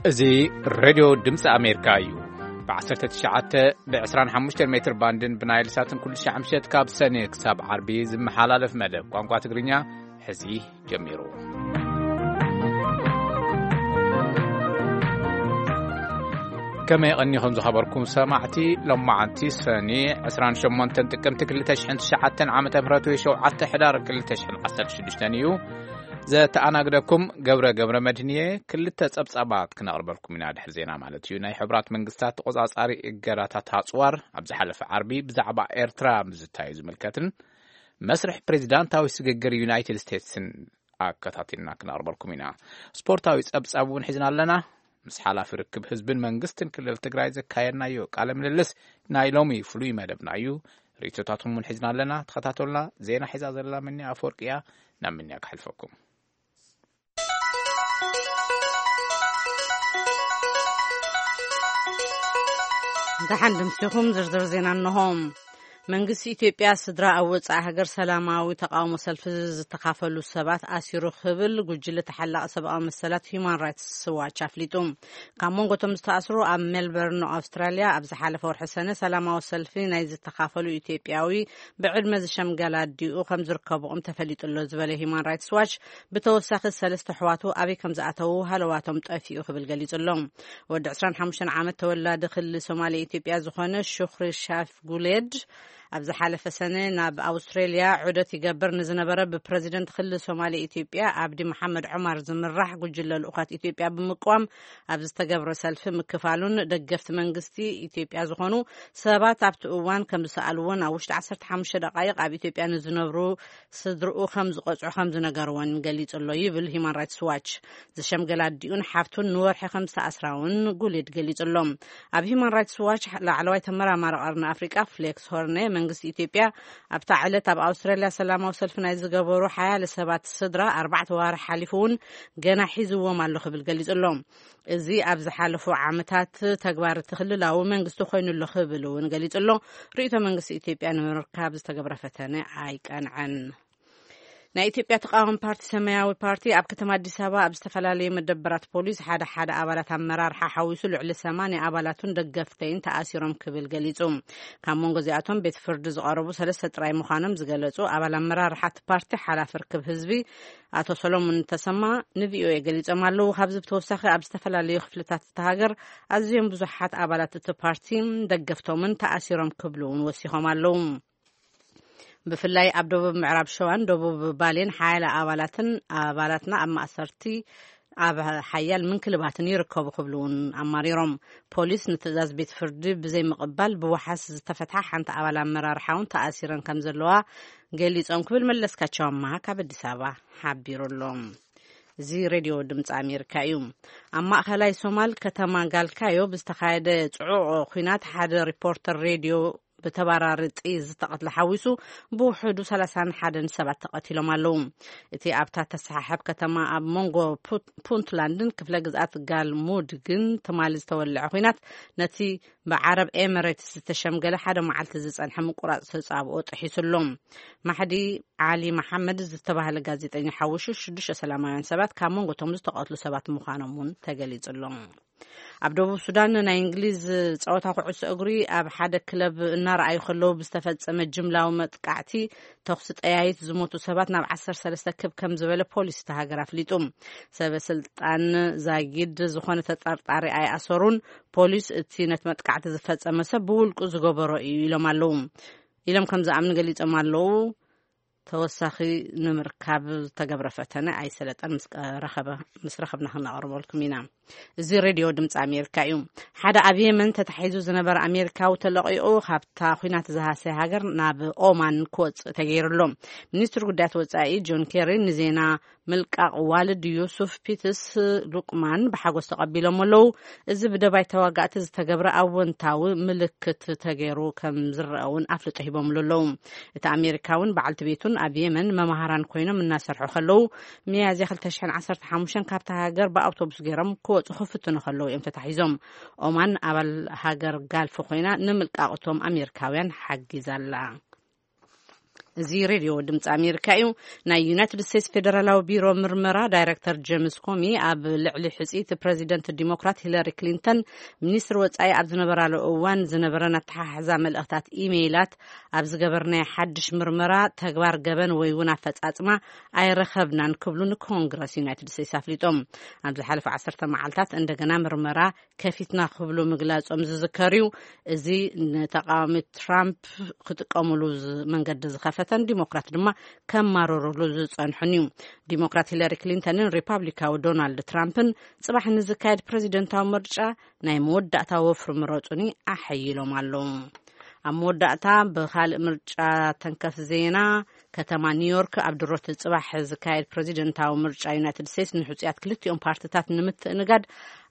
እዚ ሬድዮ ድምፂ ኣሜሪካ እዩ። ብ19 ብ25 ሜትር ባንድን ብናይል ሳትን ኩሉ ሻዕ ምሸት ካብ ሰኔ ክሳብ ዓርቢ ዝመሓላለፍ መደብ ቋንቋ ትግርኛ ሕዚ ጀሚሩ። ከመይ ቀኒኹም ዝኸበርኩም ሰማዕቲ? ሎማዓንቲ ሰኒ 28 ጥቅምቲ 2009 ዓመተ ምህረት ወይ 7 ሕዳር 2016 እዩ። ዘተኣናግደኩም ገብረ ገብረ መድህንየ። ክልተ ጸብጻባት ክነቕርበልኩም ኢና፣ ድሕሪ ዜና ማለት እዩ። ናይ ሕቡራት መንግስታት ተቖጻጻሪ እገዳታት ኣጽዋር ኣብ ዝሓለፈ ዓርቢ ብዛዕባ ኤርትራ ምዝታዩ ዝምልከትን መስርሕ ፕሬዚዳንታዊ ስግግር ዩናይትድ ስቴትስን ኣከታቲልና ክነቕርበልኩም ኢና። ስፖርታዊ ጸብጻብ እውን ሒዝና ኣለና። ምስ ሓላፊ ርክብ ህዝብን መንግስትን ክልል ትግራይ ዘካየድናዮ ቃለ ምልልስ ናይ ሎሚ ፍሉይ መደብና እዩ። ርእይቶታትኩም እውን ሒዝና ኣለና። ተኸታተሉና። ዜና ሒዛ ዘላ ምንያ ኣፈወርቂ እያ። ናብ ምንያ ክሕልፈኩም። ደሓን ድምሲኹም። ዝርዝር ዜና እንሆ። መንግስቲ ኢትዮጵያ ስድራ ኣብ ወጻኢ ሃገር ሰላማዊ ተቃውሞ ሰልፊ ዝተኻፈሉ ሰባት ኣሲሩ ክብል ጉጅለ ተሓላቒ ሰብኣዊ መሰላት ሂዩማን ራይትስ ዋች ኣፍሊጡ። ካብ መንጎ እቶም ዝተኣስሩ ኣብ ሜልበርን ኣውስትራልያ ኣብ ዝሓለፈ ወርሒ ሰነ ሰላማዊ ሰልፊ ናይ ዝተኻፈሉ ኢትዮጵያዊ ብዕድመ ዝሸምገለ ኣዲኡ ከም ዝርከብኦም ተፈሊጡ ኣሎ ዝበለ ሂዩማን ራይትስ ዋች፣ ብተወሳኺ ሰለስተ ኣሕዋቱ ኣበይ ከም ዝኣተዉ ሃለዋቶም ጠፊኡ ክብል ገሊጹ ኣሎ። ወዲ 25 ዓመት ተወላዲ ክልል ሶማሌ ኢትዮጵያ ዝኾነ ሹክሪ ሻፍ ጉሌድ ኣብ ዝሓለፈ ሰነ ናብ ኣውስትሬልያ ዑደት ይገብር ንዝነበረ ብፕረዚደንት ክልል ሶማሌ ኢትዮጵያ ኣብዲ መሓመድ ዑማር ዝምራሕ ጉጅለ ልኡኻት ኢትዮጵያ ብምቅዋም ኣብ ዝተገብረ ሰልፊ ምክፋሉን ደገፍቲ መንግስቲ ኢትዮጵያ ዝኾኑ ሰባት ኣብቲ እዋን ከም ዝሰኣልዎን ኣብ ውሽጢ 15 ደቃይቕ ኣብ ኢትዮጵያ ንዝነብሩ ስድርኡ ከም ዝቐጽዑ ከም ዝነገርዎን ገሊጹ ኣሎ ይብል ሂዩማን ራይትስ ዋች። ዝሸምገለ ኣዲኡን ሓፍቱን ንወርሒ ከም ዝተኣስራ እውን ጉሌድ ገሊጹ ኣሎ። ኣብ ሂዩማን ራይትስ ዋች ላዕለዋይ ተመራማሪ ቀርኒ ኣፍሪቃ ፍሌክስ ሆርነ፣ መንግስቲ ኢትዮጵያ ኣብታ ዕለት ኣብ ኣውስትራልያ ሰላማዊ ሰልፊ ናይ ዝገበሩ ሓያለ ሰባት ስድራ ኣርባዕተ ዋርሒ ሓሊፉ እውን ገና ሒዝዎም ኣሎ ክብል ገሊጹ ኣሎ። እዚ ኣብ ዝሓለፉ ዓመታት ተግባር እቲ ክልላዊ መንግስቲ ኮይኑ ኣሎ ክብል እውን ገሊጹ ኣሎ። ርእይቶ መንግስቲ ኢትዮጵያ ንምርካብ ዝተገብረ ፈተነ ኣይቀንዐን። ናይ ኢትዮጵያ ተቃዋሚ ፓርቲ ሰማያዊ ፓርቲ ኣብ ከተማ ኣዲስ ኣበባ ኣብ ዝተፈላለዩ መደበራት ፖሊስ ሓደ ሓደ ኣባላት ኣመራርሓ ሓዊሱ ልዕሊ 80 ኣባላቱን ደገፍተይን ተኣሲሮም ክብል ገሊጹ። ካብ መንጎ እዚኣቶም ቤት ፍርዲ ዝቐረቡ ሰለስተ ጥራይ ምዃኖም ዝገለጹ ኣባል ኣመራርሓ እቲ ፓርቲ ሓላፊ ርክብ ህዝቢ ኣቶ ሰሎሞን ተሰማ ንቪኦኤ ገሊጾም ኣለዉ። ካብዚ ብተወሳኺ ኣብ ዝተፈላለዩ ክፍልታት እቲ ሃገር ኣዝዮም ብዙሓት ኣባላት እቲ ፓርቲ ደገፍቶምን ተኣሲሮም ክብሉ እውን ወሲኾም ኣለዉ። ብፍላይ ኣብ ደቡብ ምዕራብ ሸዋን ደቡብ ባሌን ሓያለ ኣባላትን ኣባላትና ኣብ ማእሰርቲ ኣብ ሓያል ምንክልባትን ይርከቡ ክብሉ እውን ኣማሪሮም። ፖሊስ ንትእዛዝ ቤት ፍርዲ ብዘይምቕባል ብዋሓስ ዝተፈትሓ ሓንቲ ኣባል ኣመራርሓ እውን ተኣሲረን ከም ዘለዋ ገሊጾም ክብል መለስካቸው ኣማሃ ካብ ኣዲስ ኣበባ ሓቢሩ ኣሎ። እዚ ሬድዮ ድምፂ ኣሜሪካ እዩ። ኣብ ማእኸላይ ሶማል ከተማ ጋልካዮ ብዝተኻየደ ጽዑቕ ኲናት ሓደ ሪፖርተር ሬድዮ ብተባራሪ ጥይት ዝተቐትለ ሓዊሱ ብውሕዱ 31 ሰባት ተቐቲሎም ኣለዉ። እቲ ኣብታ ተሰሓሕብ ከተማ ኣብ መንጎ ፑት-፣ ፑንትላንድን ክፍለ ግዝኣት ጋልሙድ ግን ትማሊ ዝተወልዐ ኲናት ነቲ ብዓረብ ኤምሬትስ ዝተሸምገለ ሓደ መዓልቲ ዝጸንሐ ምቁራጽ ተጻብኦ ጥሒሱ ኣሎ። ማሕዲ ዓሊ መሓመድ ዝተባህለ ጋዜጠኛ ሓዊሱ ሽዱሽተ ሰላማውያን ሰባት ካብ መንጎ እቶም ዝተቐትሉ ሰባት ምዃኖም እውን ተገሊጹ ኣሎ። ኣብ ደቡብ ሱዳን ናይ እንግሊዝ ጸወታ ኩዕሶ እግሪ ኣብ ሓደ ክለብ እናረኣዩ ከለዉ ብዝተፈጸመ ጅምላዊ መጥቃዕቲ ተኹሲ ጠያይት ዝሞቱ ሰባት ናብ 13 ክብ ከም ዝበለ ፖሊስ እቲ ሃገር ኣፍሊጡ። ሰበ ስልጣን ዛጊድ ዝኾነ ተጠርጣሪ ኣይኣሰሩን። ፖሊስ እቲ ነቲ መጥቃዕቲ ዝፈጸመ ሰብ ብውልቁ ዝገበሮ እዩ ኢሎም ኣለዉ። ኢሎም ከም ዝኣምኑ ገሊጾም ኣለዉ። ተወሳኺ ንምርካብ ዝተገብረ ፈተነ ኣይሰለጠን። ምስ ቀ-፣ ረኸበ-፣ ምስ ረኸብና ክነቕርበልኩም ኢና። እዚ ሬድዮ ድምፂ ኣሜሪካ እዩ። ሓደ ኣብ የመን ተታሒዙ ዝነበረ ኣሜሪካዊ ተለቒቑ ካብታ ኲናት ዝሃሰየ ሃገር ናብ ኦማን ክወፅእ ተገይሩ ኣሎ። ሚኒስትሪ ጉዳያት ወፃኢ ጆን ኬሪ ንዜና ምልቃቕ ዋልድ ዩሱፍ ፒትስ ሉቅማን ብሓጎስ ተቐቢሎም ኣለዉ። እዚ ብደባይ ተዋጋእቲ ዝተገብረ ኣወንታዊ ምልክት ተገይሩ ከም ዝረአ እውን ኣፍልጦ ሂቦምሉ ኣለዉ። እቲ ኣሜሪካውን በዓልቲ ቤቱን ኣብ የመን መማህራን ኮይኖም እናሰርሑ ከለዉ፣ ሚያዝያ 2015 ካብታ ሃገር ብኣውቶቡስ ገይሮም ክወፁ ክፍትኑ ከለዉ እዮም ተታሒዞም። ኦማን ኣባል ሃገር ጋልፍ ኮይና ንምልቃቕ እቶም ኣሜሪካውያን ሓጊዛ ኣላ። እዚ ሬድዮ ድምፂ ኣሜሪካ እዩ። ናይ ዩናይትድ ስቴትስ ፌደራላዊ ቢሮ ምርመራ ዳይሬክተር ጄምስ ኮሚ ኣብ ልዕሊ ሕፅይቲ ፕሬዚደንት ዲሞክራት ሂለሪ ክሊንተን ሚኒስትር ወፃኢ ኣብ ዝነበራሉ እዋን ዝነበረን ኣተሓሕዛ መልእኽታት ኢሜይላት ኣብ ዝገበርናዮ ሓድሽ ምርመራ ተግባር ገበን ወይ እውን ኣፈፃፅማ ኣይረኸብናን ክብሉ ንኮንግረስ ዩናይትድ ስቴትስ ኣፍሊጦም። ኣብ ዝሓለፈ ዓሰርተ መዓልታት እንደገና ምርመራ ከፊትና ክብሉ ምግላጾም ዝዝከር እዩ። እዚ ንተቃዋሚ ትራምፕ ክጥቀሙሉ ዝ- መንገዲ ዝኸፈተን ዲሞክራት ድማ ከማረሩሉ ዝጸንሑን እዩ። ዲሞክራት ሂለሪ ክሊንተንን ሪፓብሊካዊ ዶናልድ ትራምፕን ጽባሕ ንዝካየድ ፕሬዚደንታዊ ምርጫ ናይ መወዳእታ ወፍሪ ምረጹኒ ኣሐይሎም ኣለዉ። ኣብ መወዳእታ ብኻልእ ምርጫ ተንከፍ ዜና፣ ከተማ ኒውዮርክ ኣብ ድሮት ጽባሕ ዝካየድ ፕሬዚደንታዊ ምርጫ ዩናይትድ ስቴትስ ንሕጹያት ክልቲኦም ፓርትታት ንምትእንጋድ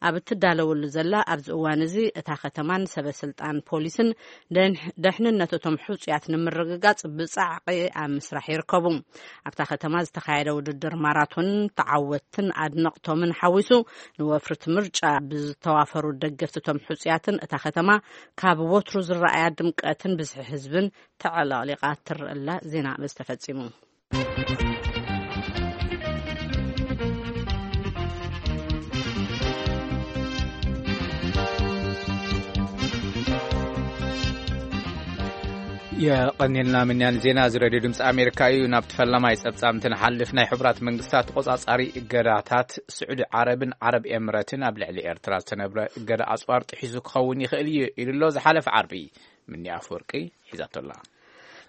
ኣብ እትዳለወሉ ዘላ ኣብዚ እዋን እዚ፣ እታ ከተማን ሰበ ስልጣን ፖሊስን ደንሕ- ደሕንነት እቶም ሕጹያት ንምርግጋጽ ብጻዕቂ ኣብ ምስራሕ ይርከቡ። ኣብታ ከተማ ዝተኻየደ ውድድር ማራቶን ተዓወትን ኣድነቕቶምን ሓዊሱ ንወፍሪ እቲ ምርጫ ብዝተዋፈሩ ደገፍቲ እቶም ሕጹያትን እታ ከተማ ካብ ወትሩ ዝረኣያ ድምቀትን ብዝሒ ህዝብን ተዕለቕሊቓ ትረኣላ። ዜና በዚ ተፈጺሙ። የቐኒልና ምንያን ዜና እዚ ሬድዮ ድምፂ ኣሜሪካ እዩ። ናብቲ ፈላማይ ፀብፃብ እንትንሓልፍ፣ ናይ ሕቡራት መንግስታት ተቆፃፃሪ እገዳታት ስዑዲ ዓረብን ዓረብ ኤምረትን ኣብ ልዕሊ ኤርትራ ዝተነብረ እገዳ ኣፅዋር ጥሒሱ ክኸውን ይኽእል እዩ ኢሉ ኣሎ። ዝሓለፈ ዓርቢ ምኒ ኣፈወርቂ ሒዛቶ ኣላ።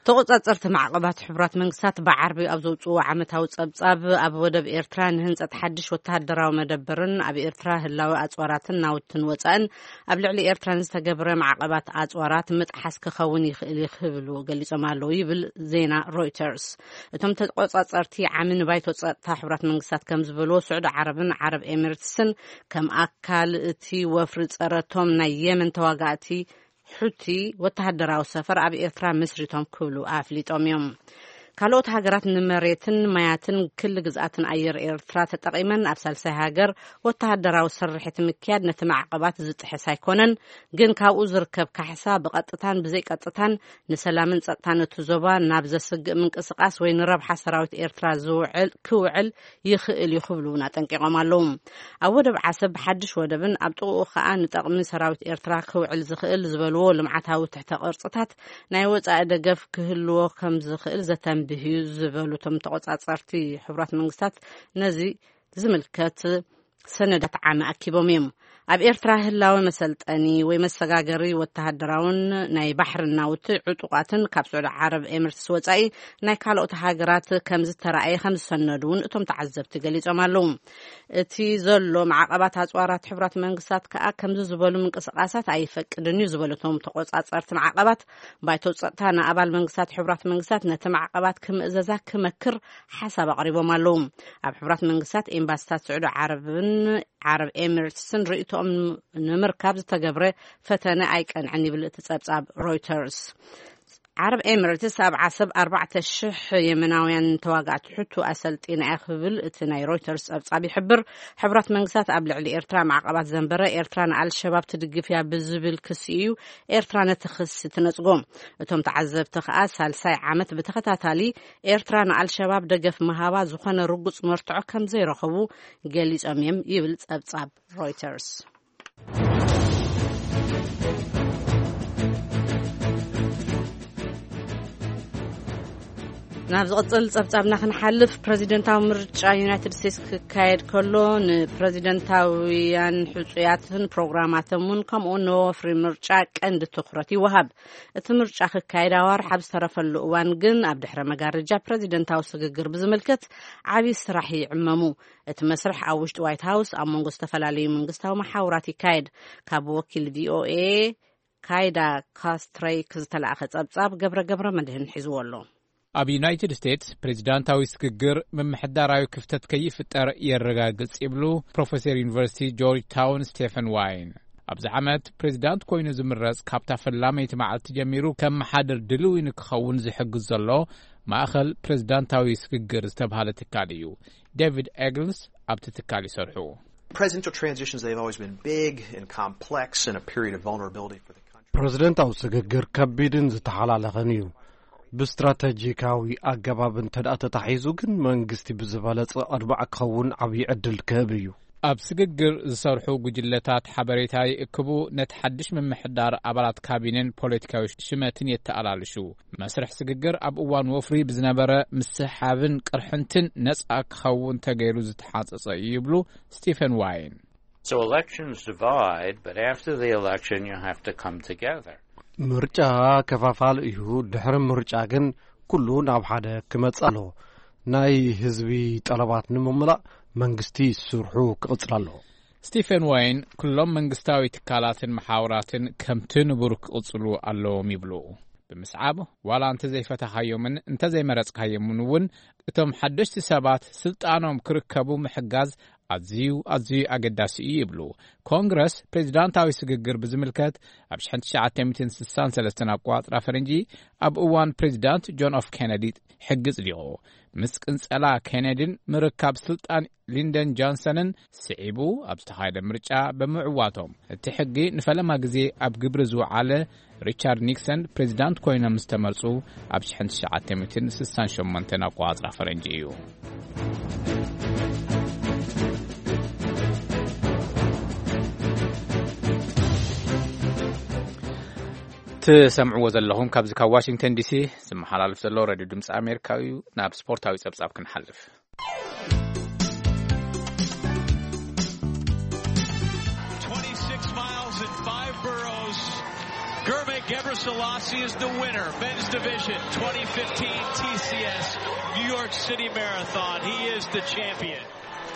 ተቆጻጸርቲ ማዕቐባት ሕቡራት መንግስታት ብዓርቢ ኣብ ዘውፅዎ ዓመታዊ ጸብጻብ፣ ኣብ ወደብ ኤርትራ ንህንጸት ሓድሽ ወተሃደራዊ መደበርን ኣብ ኤርትራ ህላወ ኣጽዋራትን ናውትን ወጻእን ኣብ ልዕሊ ኤርትራ ንዝተገብረ ማዕቐባት ኣጽዋራት ምጥሓስ ክኸውን ይኽእል እዩ ክብሉ ገሊጾም ኣለዉ ይብል ዜና ሮይተርስ። እቶም ተቆጻጸርቲ ዓሚ ንባይቶ ጸጥታ ሕቡራት መንግስታት ከም ዝበልዎ፣ ስዑዲ ዓረብን ዓረብ ኤሚሬትስን ከም ኣካል እቲ ወፍሪ ጸረቶም ናይ የመን ተዋጋእቲ ሑቲ ወተሃደራዊ ሰፈር ኣብ ኤርትራ መስሪቶም ክብሉ ኣፍሊጦም እዮም። ካልኦት ሃገራት ንመሬትን ማያትን ክሊ ግዝኣትን ኣየር ኤርትራ ተጠቒመን ኣብ ሳልሳይ ሃገር ወተሃደራዊ ስርሒት ምክያድ ነቲ ማዕቐባት ዝጥሕስ ኣይኮነን፣ ግን ካብኡ ዝርከብ ካሕሳ ብቐጥታን ብዘይቀጥታን ንሰላምን ጸጥታን እቲ ዞባ ናብ ዘስግእ ምንቅስቓስ ወይ ንረብሓ ሰራዊት ኤርትራ ዝውዕል ክውዕል ይኽእል እዩ ክብሉ እውን ኣጠንቂቖም ኣለዉ። ኣብ ወደብ ዓሰብ ብሓድሽ ወደብን ኣብ ጥቕኡ ከኣ ንጠቕሚ ሰራዊት ኤርትራ ክውዕል ዝኽእል ዝበልዎ ልምዓታዊ ትሕተ ቅርጽታት ናይ ወጻኢ ደገፍ ክህልዎ ከም ዝኽእል ዘተንብህ እዩ ዝበሉ እቶም ተቖጻጸርቲ፣ ሕቡራት መንግስታት ነዚ ዝምልከት ሰነዳት ዓሚ ኣኪቦም እዮም። ኣብ ኤርትራ ህላወ መሰልጠኒ ወይ መሰጋገሪ ወተሃደራውን ናይ ባሕሪ ናውቲ ዕጡቓትን ካብ ስዑዲ ዓረብ ኤምሬትስ ወጻኢ ናይ ካልኦት ሃገራት ከም ዝተራእየ ከም ዝሰነዱ እውን እቶም ተዓዘብቲ ገሊጾም ኣለዉ። እቲ ዘሎ ማዕቐባት ኣጽዋራት ሕቡራት መንግስታት ከኣ ከምዚ ዝበሉ ምንቅስቓሳት ኣይፈቅድን እዩ ዝበሉ እቶም ተቆጻጸርቲ ማዕቐባት፣ ባይቶ ጸጥታ ንኣባል መንግስታት ሕቡራት መንግስታት ነቲ ማዕቐባት ክምእዘዛ ክመክር ሓሳብ ኣቕሪቦም ኣለዉ። ኣብ ሕቡራት መንግስታት ኤምባሲታት ስዑዲ ዓረብን ዓረብ ኤሚሬትስን ርእይቶኦም ንምርካብ ዝተገብረ ፈተነ ኣይቀንዐን ይብል እቲ ጸብጻብ ሮይተርስ። ዓረብ ኤሚሬትስ ኣብ ዓሰብ ኣርባዕተ ሽሕ የመናውያን ተዋጋእቲ ሕቱ ኣሰልጢና እያ ክብል እቲ ናይ ሮይተርስ ጸብጻብ ይሕብር። ሕቡራት መንግስታት ኣብ ልዕሊ ኤርትራ ማዕቐባት ዘንበረ፣ ኤርትራ ንኣልሸባብ ትድግፍ እያ ብዝብል ክሲ እዩ ኤርትራ ነቲ ክሲ ትነጽጎ። እቶም ተዓዘብቲ ከኣ ሳልሳይ ዓመት ብተኸታታሊ ኤርትራ ንኣልሸባብ ደገፍ ምሃባ ዝኾነ ርጉጽ መርትዖ ከም ዘይረኸቡ ገሊጾም እዮም ይብል ጸብጻብ ሮይተርስ። ናብ ዝቕጽል ጸብጻብና ክንሓልፍ፣ ፕረዚደንታዊ ምርጫ ዩናይትድ ስቴትስ ክካየድ ከሎ ንፕረዚደንታውያን ሕጹያትን ፕሮግራማቶም እውን ከምኡ ንወፍሪ ምርጫ ቀንዲ ትኹረት ይወሃብ። እቲ ምርጫ ክካየድ ኣዋርሕ ኣብ ዝተረፈሉ እዋን ግን ኣብ ድሕረ መጋረጃ ፕረዚደንታዊ ስግግር ብዝምልከት ዓቢ ስራሕ ይዕመሙ። እቲ መስርሕ ኣብ ውሽጢ ዋይት ሃውስ ኣብ መንጎ ዝተፈላለዩ መንግስታዊ መሓውራት ይካየድ። ካብ ወኪል ቪኦኤ ካይዳ ካስትሬክ ዝተላእኸ ጸብጻብ ገብረ ገብረ መድህን ሒዝዎ ኣሎ። ኣብ ዩናይትድ ስቴትስ ፕሬዚዳንታዊ ስግግር ምምሕዳራዊ ክፍተት ከይፍጠር የረጋግጽ ይብሉ ፕሮፌሰር ዩኒቨርሲቲ ጆርጅ ታውን ስቴፈን ዋይን። ኣብዚ ዓመት ፕሬዚዳንት ኮይኑ ዝምረጽ ካብታ ፈላመይቲ መዓልቲ ጀሚሩ ከመሓድር ድልዊ ንክኸውን ዝሕግዝ ዘሎ ማእኸል ፕሬዚዳንታዊ ስግግር ዝተብሃለ ትካል እዩ። ዴቪድ ኤግልስ ኣብቲ ትካል ይሰርሑ። Presidential transitions, they've always been big and complex and a period of vulnerability for the country. ፕረዚደንታዊ ስግግር ከቢድን ዝተሓላለኸን እዩ። ብስትራተጂካዊ ኣገባብ እንተ ደኣ ተታሒዙ ግን መንግስቲ ብዝበለጸ ኣድማዕ ክኸውን ዓብዪ ዕድል ክህብ እዩ። ኣብ ስግግር ዝሰርሑ ጉጅለታት ሓበሬታ ይእክቡ፣ ነቲ ሓድሽ ምምሕዳር ኣባላት ካቢነን ፖለቲካዊ ሽመትን የተኣላልሹ። መስርሕ ስግግር ኣብ እዋን ወፍሪ ብዝነበረ ምስሕሓብን ቅርሕንትን ነጻ ክኸውን ተገይሩ ዝተሓጸጸ እዩ ይብሉ ስቲፈን ዋይን። So elections divide, but after the election you have to come together. ምርጫ ከፋፋል እዩ። ድሕሪ ምርጫ ግን ኩሉ ናብ ሓደ ክመጽእ ኣሎ። ናይ ህዝቢ ጠለባት ንምምላእ መንግስቲ ስርሑ ክቕጽል ኣሎ። ስቲፈን ዋይን ኩሎም መንግስታዊ ትካላትን መሓውራትን ከምቲ ንቡር ክቕጽሉ ኣለዎም ይብሉ። ብምስዓብ ዋላ እንተዘይፈተኻዮምን እንተዘይመረጽካዮምን እውን እቶም ሓደሽቲ ሰባት ስልጣኖም ክርከቡ ምሕጋዝ ኣዝዩ ኣዝዩ ኣገዳሲ እዩ ይብሉ። ኮንግረስ ፕሬዚዳንታዊ ስግግር ብዝምልከት ኣብ ሽሕን ትሽዓተ ሚእትን ስሳን ሰለስተን ኣቆጻጽራ ፈረንጂ ኣብ እዋን ፕሬዚዳንት ጆን ኤፍ ኬነዲ ሕጊ ጽዲቑ። ምስ ቅንጸላ ኬነዲን ምርካብ ስልጣን ሊንደን ጆንሰንን ስዒቡ ኣብ ዝተኻየደ ምርጫ ብምዕዋቶም እቲ ሕጊ ንፈለማ ግዜ ኣብ ግብሪ ዝወዓለ ሪቻርድ ኒክሰን ፕሬዚዳንት ኮይኖም ምስ ተመርጹ ኣብ ሽሕን ትሽዓተ ሚእትን ስሳን ሸሞንተን ኣቆጻጽራ ፈረንጂ እዩ። ትሰምዕዎ ዘለኹም ካብዚ ካብ ዋሽንግተን ዲሲ ዝመሓላለፍ ዘሎ ሬድዮ ድምፂ ኣሜሪካ እዩ። ናብ ስፖርታዊ ጸብጻብ ክንሓልፍ። Twenty-six miles and five boroughs. Gervais Gebrselassie is the winner, men's division, twenty fifteen T C S New York City Marathon. He is the champion.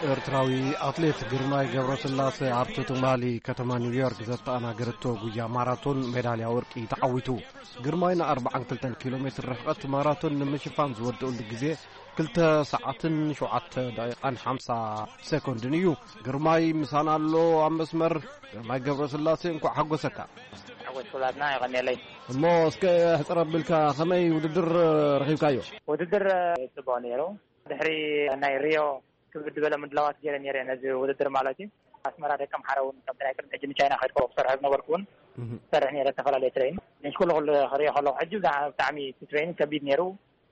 ኤርትራዊ ኣትሌት ግርማይ ገብረስላሴ ኣብቲ ትማሊ ከተማ ኒውዮርክ ዘተኣናገረቶ ጉያ ማራቶን ሜዳልያ ወርቂ ተዓዊቱ። ግርማይ ን ኣርባዓን ክልተን ኪሎ ሜትር ርሕቐት ማራቶን ንምሽፋን ዝወደኡሉ ግዜ ክልተ ሰዓትን ሸውዓተ ደቂቓን ሓምሳ ሰኮንድን እዩ። ግርማይ ምሳና ኣሎ ኣብ መስመር። ግርማይ ገብረስላሴ፣ እንኳዕ ሓጎሰካ። ሓጎስ ኩላትና፣ የቐንየለይ። እሞ እስከ ሕጽር ኣቢልካ ከመይ ውድድር ረኺብካዮ? ውድድር ጽቡቕ ነይሩ። ድሕሪ ናይ ሪዮ ክብድ ዝበለ ምድላዋት ገይረ ነይረ ነዚ ውድድር ማለት እዩ። ኣስመራ ደቂ ኣምሓራ እውን ከምቲ ናይ ቅድሚ ሕጂ ንቻይና ከድኮ ክሰርሖ ዝነበርኩ እውን እህ። ሰርሕ ነይረ፣ ዝተፈላለየ ትሬን። ምስ ኩሉ ኩሉ ክሪኦ ከለኹ ሕጂ ብጣ-፣ ብጣዕሚ እቲ ትሬን ከቢድ ነይሩ።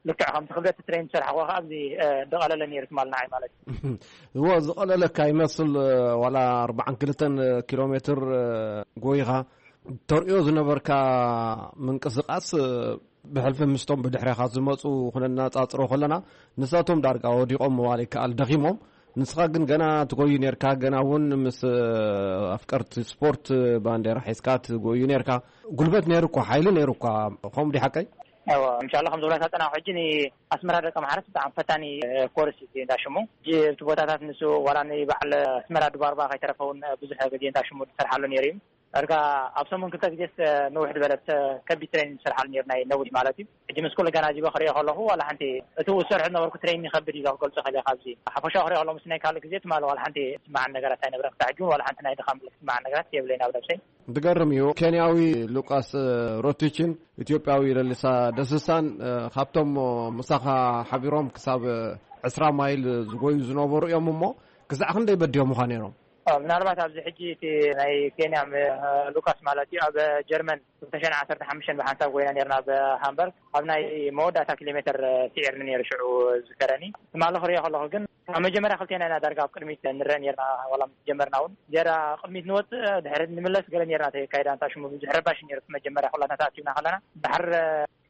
ልክዕ ከምቲ ክብደት እቲ ትሬን ዝሰርሓ ከኣ ኣብዚ፣ እ፣ ዝቐለለ ነይሩ ትማል ንዓይ ማለት እዩ። እዎ፣ ዝቐለለካ ይመስል፣ እ፣ ዋላ ኣርባዓን ክልተን ኪሎ ሜትር፣ እ፣ ጎይኻ ተርእዮ ዝነበርካ ምንቅስቓስ፣ እ፣ ብሕልፊ ምስቶም ብድሕሬኻ ዝመጹ ክነነጻጽሮ ከለና፣ ንሳቶም ዳርጋ ወዲቖም ምባል ይከኣል፣ ደኺሞም። ንስኻ ግን ገና ትጎዩ ኔርካ፣ ገና እውን ምስ ኣፍቀርቲ ስፖርት ባንዴራ ሒዝካ ትጎዩ ኔርካ። ጉልበት ነይሩ እኳ፣ ሓይሊ ነይሩ እኳ፣ ከምኡ ድዩ ሓቀይ? እዎ፣ እንሻላ ከም ዝበልካ ጸናሑ ሕጂ ንኣስመራ ደቂ ኣምሓራ ብጣዕሚ ፈታኒ ኮርስ እዩ እንዳ ሽሙ። ሕጂ እቲ ቦታታት ንሱ ዋላ ንበዓል ኣስመራ ድባርባ ከይተረፈ እውን ብዙሕ ግዜ እንዳ ሽሙ ዝሰርሓሉ ነይሩ እዩ። ዳርጋ ኣብ ሰሙን ክልተ ግዜስ፣ እ፣ ንውሕ ዝበለት፣ እ፣ ከቢድ ትሬኒንግ ዝሰርሓሉ ነይሩ፣ ናይ ነዊሕ ማለት እዩ። ሕጂ ምስ ኩሉ ገና ዚበ ክሪኦ ከለኹ፣ ዋላ ሓንቲ እቲ ዝሰርሑ ዝነበርኩ ትሬኒንግ ይኸብድ እዩ ክገልጾ ክእል እየ። ካብዚ ሓፈሻዊ ክሪኦ ከለኹ፣ ምስ ናይ ካልእ ግዜ ትማሊ ዋላ ሓንቲ ዝስምዓኒ ነገራት ኣይነበረን። ክሳዕ ሕጂ እውን ዋላ ሓንቲ ናይ ድኻም ዝስምዓኒ ነገራት የብለይን ኣብ ነብሰይ። ዝገርም እዩ። ኬንያዊ ሉቃስ፣ እ፣ ሮቲችን ኢትዮጵያዊ ለሊሳ ደስሳን፣ እ፣ ካብቶም ምሳኻ ሓቢሮም ክሳብ ዕስራ ማይል ዝጎዩ ዝነበሩ እዮም እሞ፣ ክሳዕ ክንደይ በዲሆምኻ ነይሮም? ኦ፣ ምናልባት ኣብዚ ሕጂ እቲ ናይ ኬንያ ም-፣ ሉቃስ ማለት እዩ፣ ኣብ ጀርመን ክልተ ሽሕን ዓሰርተ ሓሙሽተን ብሓንሳብ ጎይና ነርና ኣብ ሃምበርግ። ኣብ ናይ መወዳእታ ኪሎ ሜትር ስዒርኒ ነይሩ ሽዑ ዝከረኒ። ትማሊ ክሪኦ ከለኹ ግን ኣብ መጀመርያ ክልቴና ኢና ዳርጋ ኣብ ቅድሚት ንረአ ነርና፣ ዋላ ምስ ጀመርና እውን። ጀራ ቅድሚት ንወፅእ፣ ድሕሪት ንምለስ ገለ ነርና፣ እቲ ኣካይዳ እንታይ ሽሙ ብዙሕ ረባሽ ነይሩ። መጀመርያ ኩላትና ተኣኪብና ከለና ድሓር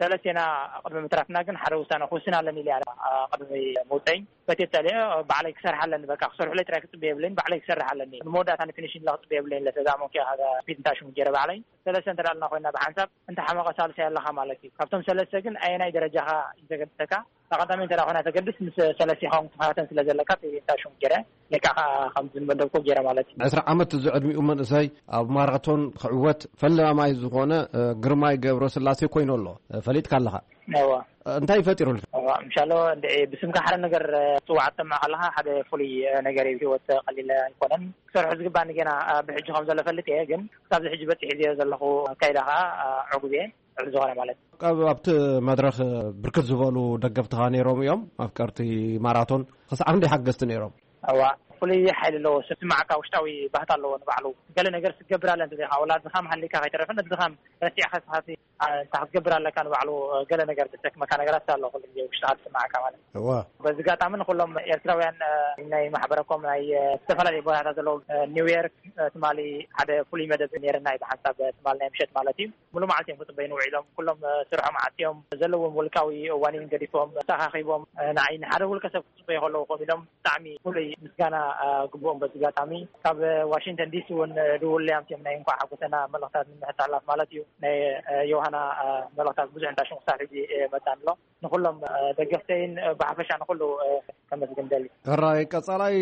ሰለስቴና ቅድሚ ምትራፍና ግን ሓደ ውሳነ ክውስን ኣለኒ ኢለ ኣነ፣ ኣ፣ ቅድሚ ምውፀይ ፈትየ ጸሊአ፣ ባዕለይ ክሰርሕ ኣለኒ፣ በቃ ክሰርሑለይ ጥራይ ክጽበ የብለይን፣ ባዕለይ ክሰርሕ ኣለኒ። ንመወዳእታ ንፊኒሽን ኢለ ክጽበ የብለይን፣ ለሰዛ ሞንኪ ሃዛ ስፒድ እንታይ ሽሙ ገይረ ባዕለይ። ሰለስተ እንተ ደኣ ኣለና ኮይና ብሓንሳብ እንተ ሓመቐ ሳልሳይ ኣለኻ ማለት እዩ። ካብቶም ሰለስተ ግን ኣየናይ ደረጃኻ እዩ ዘገድሰካ? ቀዳማይ እንተ ደኣ ኮይና ተገድስ ምስ ሰለስቲኻ እውን ክትፈታተን ስለ ዘለካ እንታይ ሽሙ ገይረ ለካ ከኣ ከም ዝመደብኩ ገይረ ማለት እዩ። ዕስራ ዓመት ዝዕድሚኡ መንእሰይ ኣብ ማራቶን ክዕወት ፈላማይ ዝኾነ፣ እ፣ ግርማይ ገብረስላሴ ኮይኑ ኣሎ። እ፣ ፈሊጥካ ኣለኻ? እዋ። እ፣ እንታይ ፈጢሩልካ? እዋ፣ ምሻሎ እንድዒ ብስምካ ሓደ ነገር፣ እ፣ ጽዋዕ ትሰምዕ ከለኻ ሓደ ፍሉይ፣ እ፣ ነገር እዩ። ህይወት ቀሊል ኣይኮነን። ክሰርሖ ዝግባኒ ገና፣ እ፣ ብሕጂ ከም ዘሎ ፈልጥ እየ፣ ግን ክሳብዚ ሕጂ በጺሕ እየ ዘለኹ። ኣካይዳ ከኣ፣ እ፣ ዕጉብ እየ። ልዕሊ ዝኾነ ማለት እዩ። ኣብ-፣ ኣብቲ መድረኽ ብርክት ዝበሉ ደገፍትኻ ነይሮም እዮም፣ ኣፍቀርቲ ማራቶን። ክሳዕ ክንደይ ሓገዝቲ ነይሮም? እዋ፣ ፍሉይ ሓይሊ ኣለዎ። ስምዓካ ውሽጣዊ ባህታ ኣለዎ ንባዕሉ። ገለ ነገር ክትገብር ኣለ እንተዘይካ፣ ወላ ድኻም ሃሊካ ከይተረፈ፣ ነቲ ድኻም ረሲዕካ ስኻሲ፣ ኣ፣ እንታ ክትገብር ኣለካ ንባዕሉ፣ እ፣ ገለ ነገር ዘሰክመካ ነገራት ኣሎ፣ ኩሉ ግዜ ውሽጥኻ ዝስምዓካ ማለት እዩ። እዋ። በዚ ኣጋጣሚ ንኩሎም ኤርትራውያን፣ እ፣ ናይ ማሕበረኮም ናይ፣ እ፣ ዝተፈላለዩ ቦታታት ዘለዉ፣ እ፣ ኒውዮርክ፣ እ፣ ትማሊ ሓደ ፍሉይ መደብ ነይርና እዩ፣ ብሓንሳብ ትማሊ ናይ ምሸት ማለት እዩ። ሙሉ መዓልቲ እዮም ክጽበዩኒ ውዒሎም። ኩሎም፣ እ፣ ስርሖም ዓጽዮም፣ ዘለዎም ውልቃዊ እዋን ገዲፎም፣ ተኻኺቦም፣ እ፣ ንዓይ ንሓደ ውልቀ ሰብ ክጽበዩ ከለዉ ኮፍ ኢሎም ብጣዕሚ ፍሉይ ምስጋና፣ እ፣ ግብኦም። በዚ ኣጋጣሚ ካብ ዋሽንግተን ዲሲ እውን፣ እ፣ ድውል ኣምጺኦም ናይ እንኳዕ ሓጎሰና መልእኽታት ንምሕልላፍ ማለት እዩ። ናይ፣ እ፣ ዮሃና፣ እ፣ መልእኽታት ብዙሕ እንዳ ሽንኩርታት ሒዙ፣ እ፣ መጻኒ ኣሎ። ንኹሎም፣ እ፣ ደገፍተይን፣ እ፣ ብሓፈሻ ንኹሉ፣ እ፣ ከመስግን ደሊ። ሕራይ ቀጻላይ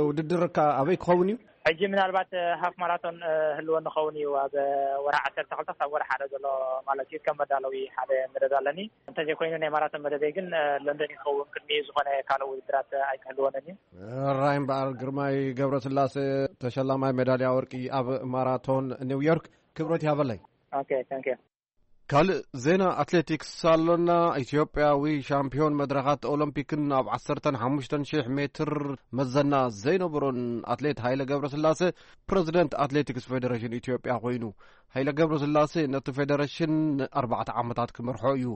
ውድድርካ ኣበይ ክኸውን እዩ? ሕጂ ምናልባት፣ እ፣ ሃፍ ማራቶን፣ እ፣ ህልወኒ ክኸውን እዩ ኣብ፣ እ፣ ወርሒ ዓሰርተ ክልተ ክሳብ ወርሒ ሓደ ዘሎ ማለት እዩ። ከም መዳለዊ ሓደ መደብ ኣለኒ። እንተዘይኮይኑ ናይ ማራቶን መደበይ ግን፣ እ፣ ለንደን ይኸውን። ቅድሚ ዝኾነ ካልእ ውድድራት፣ እ፣ ኣይክህልወንን እዩ። ሕራይ እምበኣር ግርማይ ገብረስላሴ ተሸላማይ ሜዳልያ ወርቂ ኣብ ማራቶን ኒውዮርክ ክብረት ያበለይ። ኦኬ፣ ታንክ ዩ። ካልእ ዜና ኣትሌቲክስ ኣሎና። ኢትዮጵያዊ ሻምፒዮን መድረኻት ኦሎምፒክን ኣብ ዓሰርተን ሓሙሽተን ሺሕ ሜትር መዘና ዘይነበሮን ኣትሌት ሃይለ ገብረስላሴ ፕረዚደንት ኣትሌቲክስ ፌዴሬሽን ኢትዮጵያ ኮይኑ። ሃይለ ገብረስላሴ ነቲ ፌዴሬሽን ንኣርባዕተ ዓመታት ክመርሖ እዩ።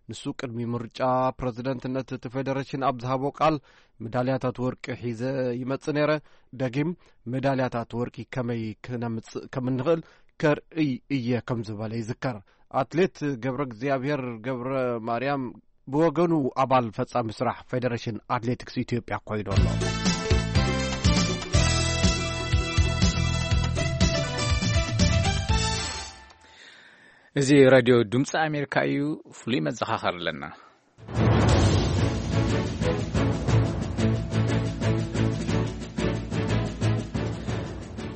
ንሱ ቅድሚ ምርጫ ፕረዚደንትነት እቲ ፌዴሬሽን ኣብ ዝሃቦ ቃል፣ "ሜዳልያታት ወርቂ ሒዘ ይመጽእ ነይረ፣ ደጊም ሜዳልያታት ወርቂ ከመይ ክነምጽእ ከም እንኽእል ከርእይ እየ" ከም ዝበለ ይዝከር። ኣትሌት ገብረ እግዚኣብሔር ገብረ ማርያም ብወገኑ ኣባል ፈጻሚ ስራሕ ፌዴሬሽን ኣትሌቲክስ ኢትዮጵያ ኮይኑ ኣሎ። እዚ ሬድዮ ድምፂ ኣሜሪካ እዩ። ፍሉይ መዘኻኸሪ ኣለና።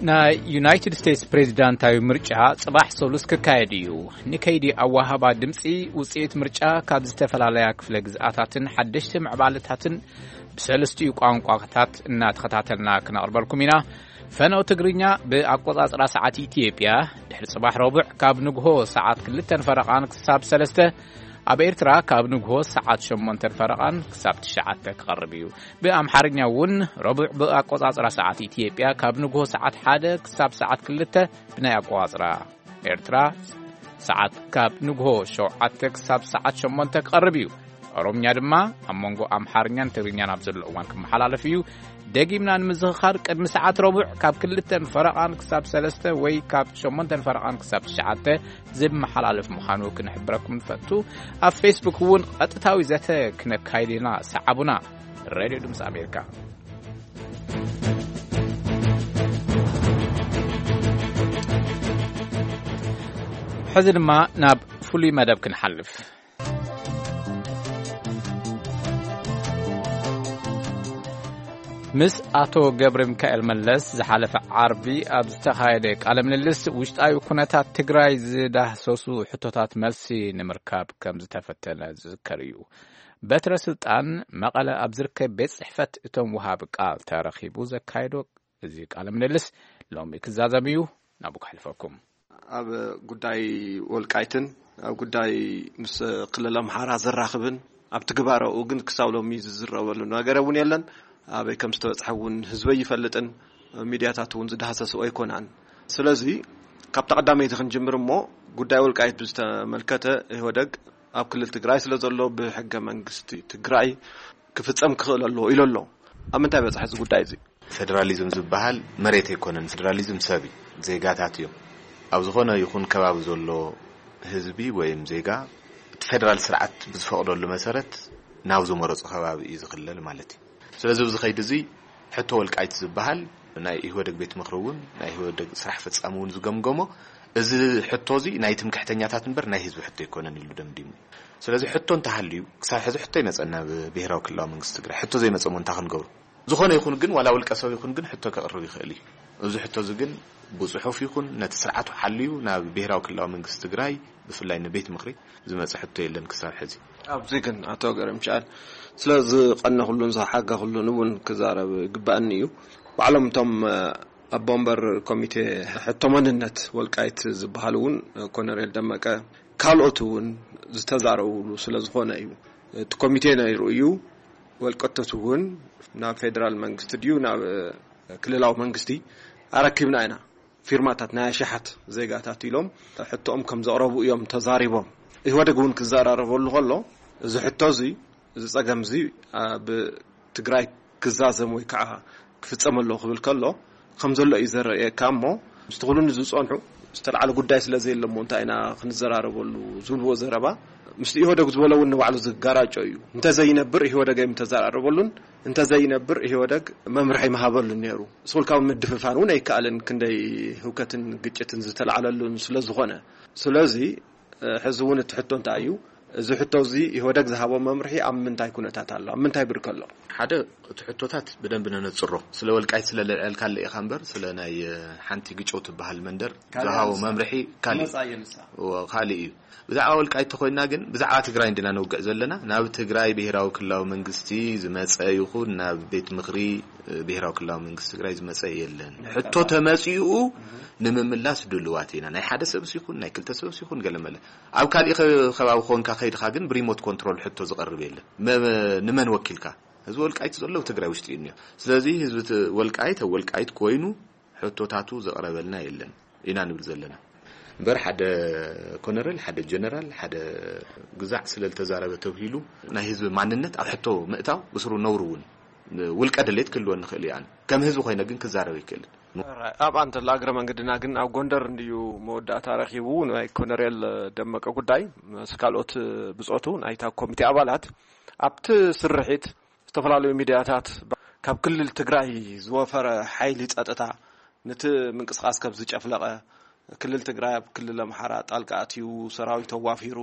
ናይ ዩናይትድ ስቴትስ ፕሬዚዳንታዊ ምርጫ ጽባሕ ሰሉስ ክካየድ እዩ። ንከይዲ ኣወሃባ ድምፂ ውፅኢት ምርጫ ካብ ዝተፈላለያ ክፍለ ግዝኣታትን ሓደሽቲ ምዕባለታትን ብሰለስቲኡ ቋንቋታት እናተኸታተልና ክነቕርበልኩም ኢና። ፈነው ትግርኛ ብኣቆጻጽራ ሰዓት ኢትዮጵያ ድሕሪ ጽባሕ ረቡዕ ካብ ንግሆ ሰዓት ክልተን ፈረቓን ክሳብ ሰለስተ፣ ኣብ ኤርትራ ካብ ንግሆ ሰዓት ሸሞንተን ፈረቓን ክሳብ ትሽዓተ ክቐርብ እዩ። ብኣምሓርኛ እውን ረቡዕ ብኣቆጻጽራ ሰዓት ኢትዮጵያ ካብ ንግሆ ሰዓት ሓደ ክሳብ ሰዓት ክልተ፣ ብናይ ኣቆጻጽራ ኤርትራ ሰዓት ካብ ንግሆ ሸውዓተ ክሳብ ሰዓት ሸሞንተ ክቐርብ እዩ። ኦሮምኛ ድማ ኣብ መንጎ ኣምሓርኛን ትግርኛን ኣብ ዘሎ እዋን ክመሓላለፍ እዩ። ደጊምና ንምዝኽኻር፣ ቅድሚ ሰዓት ረቡዕ ካብ ክልተን ፈረቓን ክሳብ ሰለስተ ወይ ካብ ሸሞንተን ፈረቓን ክሳብ ትሽዓተ ዝመሓላለፍ ምዃኑ ክንሕብረኩም ንፈቱ። ኣብ ፌስቡክ እውን ቀጥታዊ ዘተ ክነካይድ ኢና። ሰዓቡና። ሬድዮ ድምፂ ኣሜሪካ። ሕዚ ድማ ናብ ፍሉይ መደብ ክንሓልፍ። ምስ ኣቶ ገብረ ሚካኤል መለስ ዝሓለፈ ዓርቢ ኣብ ዝተኻየደ ቃለ ምልልስ፣ ውሽጣዊ ኩነታት ትግራይ ዝዳህሰሱ ሕቶታት መልሲ ንምርካብ ከም ዝተፈተነ ዝዝከር እዩ። በትረ ስልጣን መቐለ ኣብ ዝርከብ ቤት ጽሕፈት እቶም ወሃቢ ቃል ተረኺቡ ዘካየዶ እዚ ቃለ ምልልስ ሎሚ ክዛዘም እዩ። ናብኡ ከሕልፈኩም። ኣብ ጉዳይ ወልቃይትን ኣብ ጉዳይ ምስ ክልል ኣምሓራ ዘራኽብን ኣብ ትግባረኡ ግን ክሳብ ሎሚ ዝዝረበሉ ነገር እውን የለን። ኣበይ ከም ዝተበጽሐ እውን ህዝቢ ኣይፈልጥን። ሚድያታት እውን ዝዳህሰስኦ ኣይኮናን። ስለዚ ካብታ ቀዳመይቲ ክንጅምር እሞ፣ ጉዳይ ወልቃይት ብዝተመልከተ፣ ኢህወደግ ኣብ ክልል ትግራይ ስለ ዘሎ ብሕገ መንግስቲ ትግራይ ክፍጸም ክኽእል ኣለዎ ኢሉ ኣሎ። ኣብ ምንታይ በጽሐ እዚ ጉዳይ እዚ? ፌደራሊዝም ዝበሃል መሬት ኣይኮነን። ፌደራሊዝም ሰብ እዩ፣ ዜጋታት እዮም። ኣብ ዝኾነ ይኹን ከባቢ ዘሎ ህዝቢ ወይም ዜጋ እቲ ፌደራል ስርዓት ብዝፈቕደሉ መሰረት ናብ ዝመረጾ ከባቢ እዩ ዝኽለል ማለት እዩ። ስለዚ ኣብዚ ኸይዲ እዚ ሕቶ ወልቃይት ዝበሃል ናይ ኢህወደግ ቤት ምኽሪ እውን ናይ ኢህወደግ ስራሕ ፈጻሚ እውን ዝገምገሞ፣ እዚ ሕቶ እዚ ናይ ትምክሕተኛታት እምበር ናይ ህዝቢ ሕቶ ኣይኮነን ኢሉ ደምዲሙ። ስለዚ ሕቶ እንተሃልዩ፣ ክሳብ ሕዚ ሕቶ ኣይመጸና ብብሄራዊ ክልላዊ መንግስቲ ትግራይ። ሕቶ ዘይመጸ እሞ እንታይ ክንገብሮ? ዝኾነ ይኹን ግን፣ ዋላ ውልቀ ሰብ ይኹን ግን ሕቶ ከቕርብ ይኽእል እዩ። እዚ ሕቶ እዚ ግን ብጽሑፍ ይኹን ነቲ ስርዓቱ ሓልዩ ናብ ብሄራዊ ክልላዊ መንግስቲ ትግራይ፣ ብፍላይ ንቤት ምኽሪ ዝመጸ ሕቶ የለን ክሳብ ሕዚ። ኣብዚ ግን ኣቶ ገረምሻል ስለ ዝቐነኹሉን ዝሓገኹሉን እውን ክዛረብ ይግባኣኒ እዩ። ባዕሎም እቶም፣ እ፣ ኣቦ ወንበር ኮሚቴ ሕቶ መንነት ወልቃይት ዝበሃሉ እውን፣ እ፣ ኮነሬል ደመቀ ካልኦት እውን ዝተዛረቡሉ ስለ ዝኾነ እዩ። እቲ ኮሚቴ ነይሩ እዩ። ወልቀቶት እውን ናብ ፌደራል መንግስቲ ድዩ ናብ፣ እ፣ ክልላዊ መንግስቲ ኣረኪብና ኢና፣ ፊርማታት ናይ ኣሽሓት ዜጋታት ኢሎም ሕቶኦም ከም ዘቕረቡ እዮም ተዛሪቦም። ኢህወደግ እውን ክዘራረበሉ ከሎ፣ እዚ ሕቶ እዚ፣ እዚ ጸገም እዚ ኣብ ትግራይ ክዛዘም ወይ ከዓ ክፍጸም ኣለዎ ክብል ከሎ ከም ዘሎ እዩ ዘረእየካ። እሞ ምስቲ ኩሉ ዝጸንሑ ዝተለዓለ ጉዳይ ስለ ዘየለ እሞ እንታይ ኢና ክንዘራረበሉ ዝብልዎ ዘረባ፣ ምስቲ ኢህወደግ ዝበሎ እውን ንባዕሉ ዝጋራጮ እዩ። እንተዘይነብር ኢህወደግ ኣይምተዘራረበሉን፣ እንተዘይነብር ኢህወደግ መምርሒ ምሃበሉን ነይሩ። ስኹልካ ምድፍፋን እውን ኣይከኣልን፣ ክንደይ ህውከትን ግጭትን ዝተለዓለሉን ስለ ዝኾነ። ስለዚ ሕዚ እውን እቲ ሕቶ እንታይ እዩ? እዚ ሕቶ እዚ ኢህወደግ ዝሃቦ መምርሒ ኣብ ምንታይ ኩነታት ኣሎ? ኣብ ምንታይ ብርክ ኣሎ? ሓደ፣ እቲ ሕቶታት ብደንብ ነነጽሮ። ስለ ወልቃይት ስለ ለልዐልካለ ኢኻ እምበር፣ ስለ ናይ ሓንቲ ግጨው ትበሃል መንደር ዝሃቦ መምርሒ ካልእ፣ ካልእ እዩ። ብዛዕባ ወልቃይት ተኮይና ግን ብዛዕባ ትግራይ እንዲና ነውግዕ ዘለና። ናብ ትግራይ ብሄራዊ ክልላዊ መንግስቲ ዝመፀ ይኹን ናብ ቤት ምኽሪ ብሄራዊ ክልላዊ መንግስቲ ትግራይ ዝመፀ የለን። ሕቶ ተመፂኡ ንምምላስ ድልዋት ኢና። ናይ ሓደ ሰብስ ይኹን ናይ ክልተ ሰብስ ይኹን ገለመለ ኣብ ካሊእ ከባቢ ኮንካ ከይድካ ግን ብሪሞት ኮንትሮል ሕቶ ዝቐርብ የለን። ንመን ወኪልካ? ህዝቢ ወልቃይት ዘሎ ትግራይ ውሽጢ እዩ። ስለዚ ህዝቢ ወልቃይት ኣብ ወልቃይት ኮይኑ ሕቶታቱ ዘቕረበልና የለን ኢና ንብል ዘለና። እምበር ሓደ ኮነረል፣ ሓደ ጀነራል፣ ሓደ ግዛዕ ስለ ዝተዛረበ ተብሂሉ ናይ ህዝቢ ማንነት ኣብ ሕቶ ምእታው ብስሩ ነውሩ እውን ውልቀ ድሌት ክህልወ ንኽእል እዩ። ኣነ ከም ህዝቢ ኮይነ ግን ክዛረብ ይክእል። ኣብ ኣንተ ለኣግረ መንገድና ግን ኣብ ጎንደር እንድዩ መወዳእታ ረኺቡ። ናይ ኮነሬል ደመቀ ጉዳይ ምስ ካልኦት ብጾቱ ናይታ ኮሚቴ ኣባላት ኣብቲ ስርሒት ዝተፈላለዩ ሚድያታት ካብ ክልል ትግራይ ዝወፈረ ሓይሊ ጸጥታ ነቲ ምንቅስቃስ ከም ዝጨፍለቐ፣ ክልል ትግራይ ኣብ ክልል ኣምሓራ ጣልቃ ኣትዩ ሰራዊት ኣዋፊሩ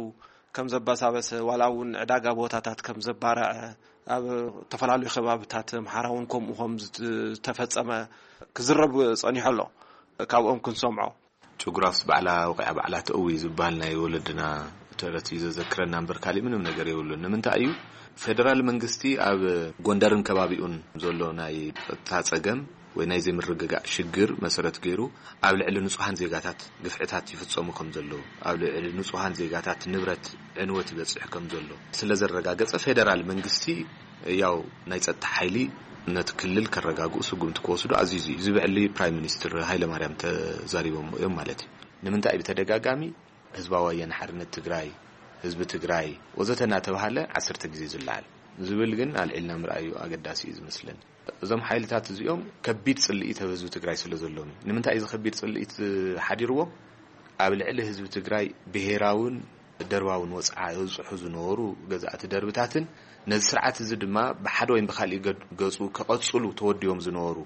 ከም ዘበሳበሰ፣ ዋላ እውን ዕዳጋ ቦታታት ከም ዘባረዐ፣ ኣብ ዝተፈላለዩ ከባብታት ኣምሓራ እውን ከምኡ ከም ዝተፈጸመ ክዝረብ ጸኒሑ ኣሎ። ካብኦም ክንሰምዖ። ጭጉራፍስ ባዕላ ወቂዓ ባዕላ ተእዊ ዝበሃል ናይ ወለድና ተረት እዩ ዘዘክረና እምበር ካሊእ ምንም ነገር የብሉን። ንምንታይ እዩ ፌደራል መንግስቲ ኣብ ጎንደርን ከባቢኡን ዘሎ ናይ ጸጥታ ጸገም ወይ ናይ ዘይምርግጋእ ሽግር መሰረት ገይሩ ኣብ ልዕሊ ንጹሃን ዜጋታት ግፍዕታት ይፍጸሙ ከም ዘለዉ፣ ኣብ ልዕሊ ንጹሃን ዜጋታት ንብረት ዕንወት ይበጽሕ ከም ዘሎ ስለ ዘረጋገጸ፣ ፌደራል መንግስቲ ያው ናይ ጸጥታ ሓይሊ ነቲ ክልል ከረጋግኡ ስጉምቲ ክወስዱ ኣዚዙ እዩ። እዚ ብዕሊ ፕራይም ሚኒስትር ሃይለማርያም ተዛሪቦም እዮም ማለት እዩ። ንምንታይ ብተደጋጋሚ ህዝባዊ ወያነ ሓርነት ትግራይ፣ ህዝቢ ትግራይ ወዘተ እናተባሃለ ዓሰርተ ግዜ ዝለዓል ዝብል ግን ኣልዒልና ምርኣዩ ኣገዳሲ እዩ ዝመስለኒ። እዞም ሓይልታት እዚኦም ከቢድ ጽልኢት ኣብ ህዝቢ ትግራይ ስለ ዘለዎም እዩ። ንምንታይ እዩ እዚ ከቢድ ጽልኢት ሓዲርዎም? ኣብ ልዕሊ ህዝቢ ትግራይ ብሄራውን ደርባውን ወጽዓ የብጽሑ ዝነበሩ ገዛእቲ ደርብታትን ነዚ ስርዓት እዚ ድማ ብሓደ ወይም ብካሊእ ገድ-፣ ገጹ ከቐጽሉ ተወዲቦም ዝነበሩ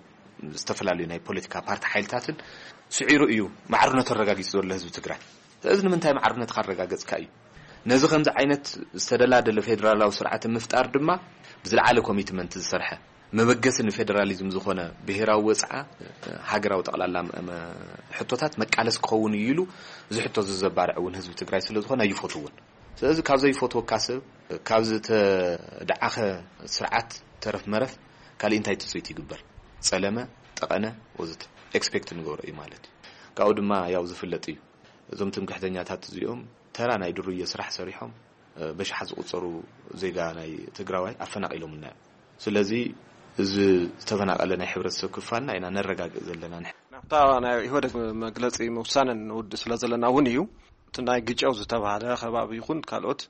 ዝተፈላለዩ ናይ ፖለቲካ ፓርቲ ሓይልታትን ስዒሩ እዩ ማዕርነቱ ኣረጋጊጹ ዘሎ ህዝቢ ትግራይ። ስለዚ ንምንታይ ማዕርነትካ ኣረጋገጽካ እዩ። ነዚ ከምዚ ዓይነት ዝተደላደለ ፌደራላዊ ስርዓት ንምፍጣር ድማ ብዝለዓለ ኮሚትመንት ዝሰርሐ፣ መበገሲ ንፌደራሊዝም ዝኾነ ብሄራዊ ወጽዓ፣ ሃገራዊ ጠቕላላ መ-፣ መ-፣ ሕቶታት መቃለሲ ክኸውን እዩ ኢሉ እዚ ሕቶ እዚ ዘባርዕ እውን ህዝቢ ትግራይ ስለ ዝኾነ ኣይፈትውን። ስለዚ ካብ ዘይፈትወካ ሰብ፣ ካብ ዝተደዓኸ ስርዓት ተረፍ መረፍ ካሊእ እንታይ ትጽቢት ይግበር? ጸለመ፣ ጠቐነ ወዘተ ኤክስፔክት ንገብሮ እዩ ማለት እዩ። ካብኡ ድማ ያው ዝፍለጥ እዩ። እዞም ትምክሕተኛታት እዚኦም ተራ ናይ ድሩየ ስራሕ ሰሪሖም፣ እ፣ በሽሓት ዝቑጸሩ ዜጋ ናይ ትግራዋይ ኣፈናቒሎምና እዮም። ስለዚ እዚ ዝተፈናቐለ ናይ ሕብረተሰብ ክፋልና ኢና ነረጋግእ ዘለና። ናብታ ናይ ኢህወደግ መግለጺ ምውሳነ ንውድእ ስለ ዘለና እውን እዩ። እቲ ናይ ግጨው ዝተባህለ ከባቢ ይኹን ካልኦት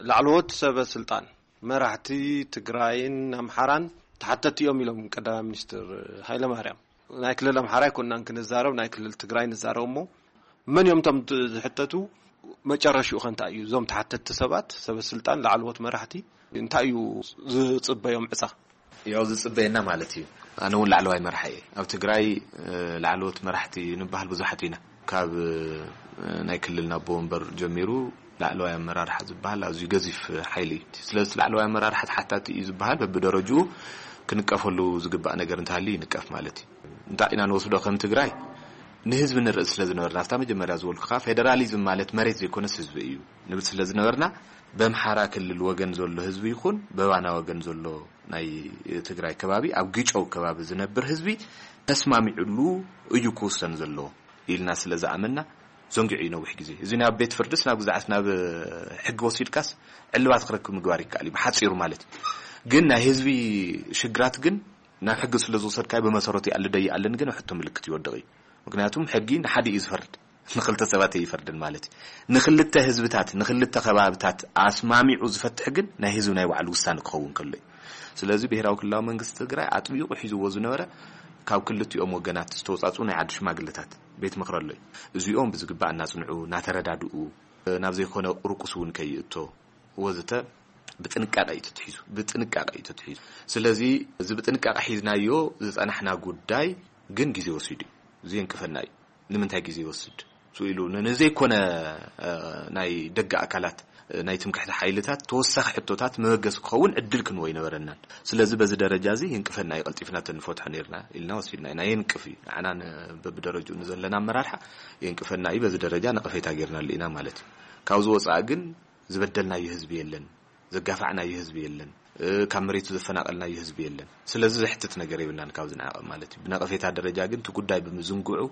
ላዕለዎት ሰበ ስልጣን መራሕቲ ትግራይን ኣምሓራን ተሓተቲ እዮም ኢሎም ቀዳማይ ሚኒስትር ሃይለማርያም። ናይ ክልል ኣምሓራ ኣይኮንናን ክንዛረብ፣ ናይ ክልል ትግራይ ንዛረብ። እሞ መን እዮም እቶም ት-፣ ዝሕተቱ? መጨረሽኡ ከ እንታይ እዩ? እዞም ተሓተቲ ሰባት፣ ሰበ ስልጣን፣ ላዕለዎት መራሕቲ እንታይ እዩ ዝጽበዮም ዕጻ? ያው ዝጽበየና ማለት እዩ። ኣነ እውን ላዕለዋይ መራሒ እየ። ኣብ ትግራይ፣ እ፣ ላዕለዎት መራሕቲ ንበሃል ብዙሓት ኢና። ካብ፣ እ፣ ናይ ክልል ናብ ወንበር ጀሚሩ ላዕለዋይ ኣመራርሓ ዝበሃል ኣዝዩ ገዚፍ ሓይሊ እዩ። ስለዚ እቲ ላዕለዋይ ኣመራርሓ ተሓታቲ እዩ ዝበሃል በብደረጅኡ ክንቀፈሉ ዝግባእ ነገር እንተሃልዩ ይንቀፍ ማለት እዩ። እንታይ ኢና ንወስዶ ከም ትግራይ ንህዝቢ ንርኢ ስለ ዝነበርና፣ ኣብታ መጀመርያ ዝበልኩኻ ፌደራሊዝም ማለት መሬት ዘይኮነስ ህዝቢ እዩ ንብል ስለ ዝነበርና፣ በምሓራ ክልል ወገን ዘሎ ህዝቢ ይኹን በባና ወገን ዘሎ ናይ ትግራይ ከባቢ፣ ኣብ ግጨው ከባቢ ዝነብር ህዝቢ ተስማሚዑሉ እዩ ክውሰን ዘለዎ ኢልና ስለ ዝኣመንና፣ ዘንጊዑ እዩ ነዊሕ ግዜ። እዚ ናብ ቤት ፍርድስ ናብ ግዛዕስ ናብ ሕጊ ወሲድካስ ዕልባት ክረክብ ምግባር ይከኣል እዩ፣ ብሓጺሩ ማለት እዩ። ግን ናይ ህዝቢ ሽግራት ግን ናብ ሕጊ ስለ ዝወሰድካዮ ብመሰረቱ ይኣልደ ይኣልን ግን ሕቶ ምልክት ይወድቕ እዩ። ምክንያቱም ሕጊ ንሓደ እዩ ዝፈርድ፣ ንክልተ ሰባት ኣይፈርድን ማለት እዩ። ንክልተ ህዝብታት፣ ንክልተ ከባብታት ኣስማሚዑ ዝፈትሕ ግን ናይ ህዝቢ ናይ ባዕሉ ውሳነ ክኸውን ከሎ እዩ። ስለዚ ብሄራዊ ክልላዊ መንግስቲ ትግራይ ኣጥቢቑ ሒዝዎ ዝነበረ ካብ ክልቲኦም ወገናት ዝተወፃፅኡ ናይ ዓዲ ሽማግለታት ቤት ምኽሪ ኣሎ እዩ። እዚኦም ብዝግባእ እናፅንዑ፣ እናተረዳድኡ፣ ናብ ዘይኮነ ቁርቁስ እውን ከይእቶ ወዘተ ብጥንቃቄ እዩ ተትሒዙ፣ ብጥንቃቄ እዩ ተትሒዙ። ስለዚ እዚ ብጥንቃቄ ሒዝናዮ ዝጸናሕና ጉዳይ ግን ግዜ ወሲዱ እዩ። እዚ የንቅፈና እዩ። ንምንታይ ግዜ ይወስድ? ስኢሉ ን-፣ ንዘይኮነ፣ እ፣ ናይ ደገ ኣካላት፣ እ፣ ናይ ትምክሕቲ ሓይልታት ተወሳኺ ሕቶታት መበገሲ ክኸውን ዕድል ክንወ ኣይነበረናን። ስለዚ በዚ ደረጃ እዚ የንቅፈና እዩ፣ ቀልጢፍና ተንፈትሖ ነርና ኢልና ወሲድና ኢና። የንቅፍ እዩ። ንዓና ን-፣ በብደረጅኡ ንዘለና ኣመራርሓ የንቅፈና እዩ። በዚ ደረጃ ነቐፌታ ጌርናሉ ኢና ማለት እዩ። ካብዚ ወጻኢ ግን ዝበደልናዮ ህዝቢ የለን፣ ዘጋፋዕናዮ ህዝቢ የለን፣ እ፣ ካብ መሬቱ ዘፈናቐልናዮ ህዝቢ የለን። ስለዚ ዘሕትት ነገር የብልናን ካብዚ ንዓቐብ ማለት እዩ። ብነቐፌታ ደረጃ ግን እቲ ጉዳይ ብምዝንግዑ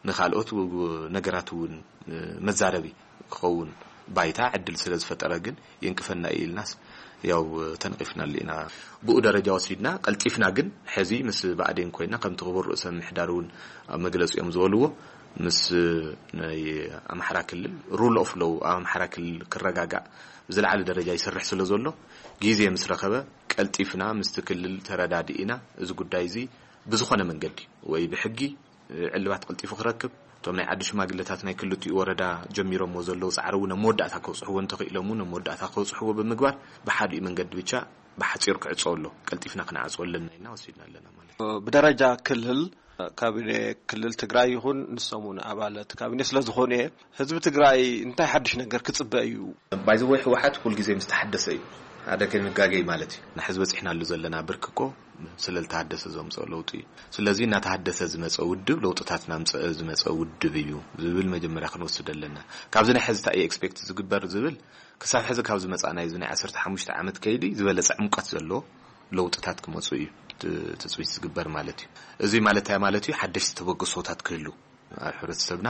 ንኻልኦት ው-፣ ነገራት እውን፣ እ፣ መዛረቢ ክኸውን ባይታ ዕድል ስለ ዝፈጠረ ግን የንቅፈና እዩ ኢልናስ ያው ተነቒፍናሉ ኢና። ብኡ ደረጃ ወሲድና ቀልጢፍና ግን ሕዚ ምስ ብኣዴን ኮይና ከምቲ ክቡር ርእሰ ምምሕዳር እውን ኣብ መግለፂኦም ዝበልዎ ምስ ናይ ኣምሓራ ክልል ሩል ኦፍ ሎው ኣብ ኣምሓራ ክልል ክረጋጋእ ብዝለዓለ ደረጃ ይሰርሕ ስለ ዘሎ፣ ግዜ ምስ ረኸበ ቀልጢፍና ምስቲ ክልል ተረዳዲእና እዚ ጉዳይ እዚ ብዝኾነ መንገዲ ወይ ብሕጊ ዕልባት ቀልጢፉ ክረክብ፣ እቶም ናይ ዓዲ ሽማግለታት ናይ ክልቲኡ ወረዳ ጀሚሮምዎ ዘለዉ ጻዕሪ እውን ኣብ መወዳእታ ከብጽሕዎ እንተኽኢሎም እውን ኣብ መወዳእታ ከብጽሕዎ ብምግባር ብሓዲኡ መንገዲ ብቻ ብሓጺሩ ክዕጸወሎ ቀልጢፍና ክንዓጽወ ኣለና ኢልና ወሲድና ኣለና ማለት እዩ። ብደረጃ ክልል ካቢኔ ክልል ትግራይ ይኹን ንሶም እውን ኣባላት ካቢኔ ስለ ዝኾኑ እየ። ህዝቢ ትግራይ እንታይ ሓድሽ ነገር ክጽበ እዩ? ባይዘወይ ህወሓት ኩልግዜ ምስ ተሓደሰ እዩ ሓደ ከይንጋገይ ማለት እዩ። ንሕዚ በፂሕናሉ ዘለና ብርኪ እኮ ስለ ዝተሃደሰ ዘምፅኦ ለውጢ እዩ። ስለዚ እናተሃደሰ ዝመፀ ውድብ ለውጥታት እናምፀአ ዝመፀ ውድብ እዩ ዝብል መጀመርያ ክንወስድ ኣለና። ካብዚ ናይ ሕዚ እንታይ እዩ ኤክስፔክት ዝግበር ዝብል ክሳብ ሕዚ ካብ ዝመፃ ናይዚ ናይ ዓሰርተ ሓሙሽተ ዓመት ከይዲ ዝበለፀ ዕምቀት ዘለዎ ለውጥታት ክመፁ እዩ ት-፣ ትፅቢት ዝግበር ማለት እዩ። እዚ ማለት እንታይ ማለት እዩ? ሓደሽቲ ተበግሶታት ክህሉ ኣብ ሕብረተሰብና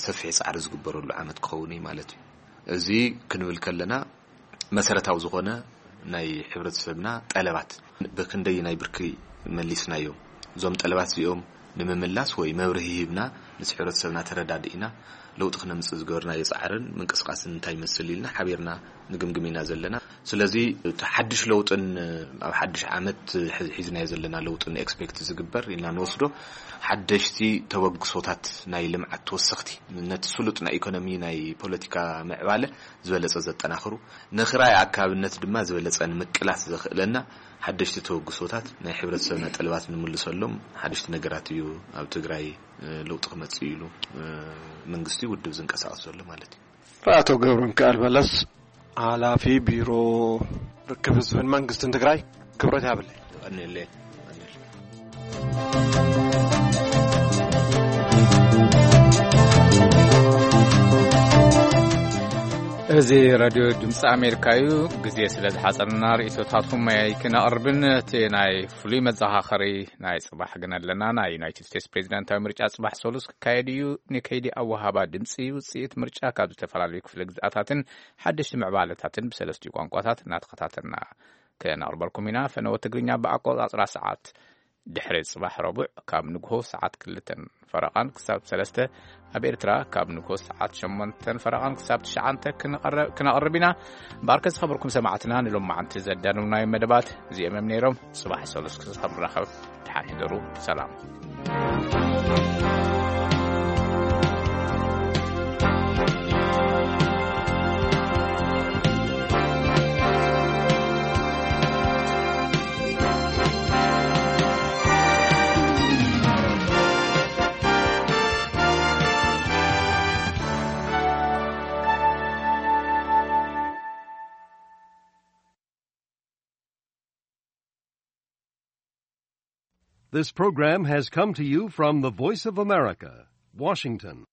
ሰፊሕ ፃዕሪ ዝግበረሉ ዓመት ክኸውን እዩ ማለት እዩ። እዚ ክንብል ከለና መሰረታዊ ዝኾነ ናይ ሕብረተሰብና ጠለባት ብክንደይ ናይ ብርኪ መሊስናዮም፣ እዞም ጠለባት እዚኦም ንምምላስ ወይ መብርሂ ሂብና ምስ ሕብረተሰብና ተረዳዲእና ለውጢ ክነምፅእ ዝገበርናዮ ፃዕርን ምንቅስቃስን እንታይ ይመስል ኢልና ሓቢርና ንግምግም ኢና ዘለና። ስለዚ እቲ ሓድሽ ለውጥን ኣብ ሓድሽ ዓመት ሒ-፣ ሒዝናዮ ዘለና ለውጥን ኤክስፔክት ዝግበር ኢልና ንወስዶ ሓደሽቲ ተበግሶታት ናይ ልምዓት ተወሰኽቲ ነቲ ስሉጥ ናይ ኢኮኖሚ ናይ ፖለቲካ ምዕባለ ዝበለጸ ዘጠናኽሩ፣ ንኽራይ ኣካብነት ድማ ዝበለጸ ንምቅላስ ዘኽእለና ሓደሽቲ ተበግሶታት ናይ ሕብረተሰብና ጠለባት ንምልሰሎም ሓደሽቲ ነገራት እዩ ኣብ ትግራይ፣ እ፣ ለውጢ ክመጽእ ኢሉ፣ እ፣ መንግስቲ ውድብ ዝንቀሳቐስ ዘሎ ማለት እዩ። ኣቶ ገብረ ሚካኤል በለስ፣ ሓላፊ ቢሮ ርክብ ህዝብን መንግስትን ትግራይ፣ ክብረት ያብለይ። ቀኒለይ። እዚ ራድዮ ድምፂ ኣሜሪካ እዩ። ግዜ ስለ ዝሓፀርና ርእይቶታትኩም ኣይክነቕርብን፣ እቲ ናይ ፍሉይ መዘኻኸሪ ናይ ጽባሕ ግን ኣለና። ናይ ዩናይትድ ስቴትስ ፕሬዚዳንታዊ ምርጫ ጽባሕ ሰሉስ ክካየድ እዩ። ንከይዲ ኣወሃባ ድምጺ ውጽኢት ምርጫ ካብ ዝተፈላለዩ ክፍለ ግዝኣታትን ሓደሽቲ ምዕባለታትን ብሰለስቲኡ ቋንቋታት እናተኸታተልና ከነቕርበልኩም ኢና። ፈነወ ትግርኛ ብኣቆጻጽራ ሰዓት ድሕሪ ጽባሕ ረቡዕ ካብ ንግሆ ሰዓት ክልተን ፈረቓን ክሳብ ሰለስተ፣ ኣብ ኤርትራ ካብ ንግሆ ሰዓት ሸሞንተን ፈረቓን ክሳብ ትሽዓተ ክነቐረ-፣ ክነቕርብ ኢና። እምበኣርከ ዝኸበርኩም ሰማዕትና ንሎማዓንቲ ዘዳለውናዮም መደባት እዚኦም እዮም ነይሮም። ጽባሕ ሰሉስ ክሳብ ንራኸብ ደሓን ሕደሩ። ሰላም። This program has come to you from the Voice of America, Washington.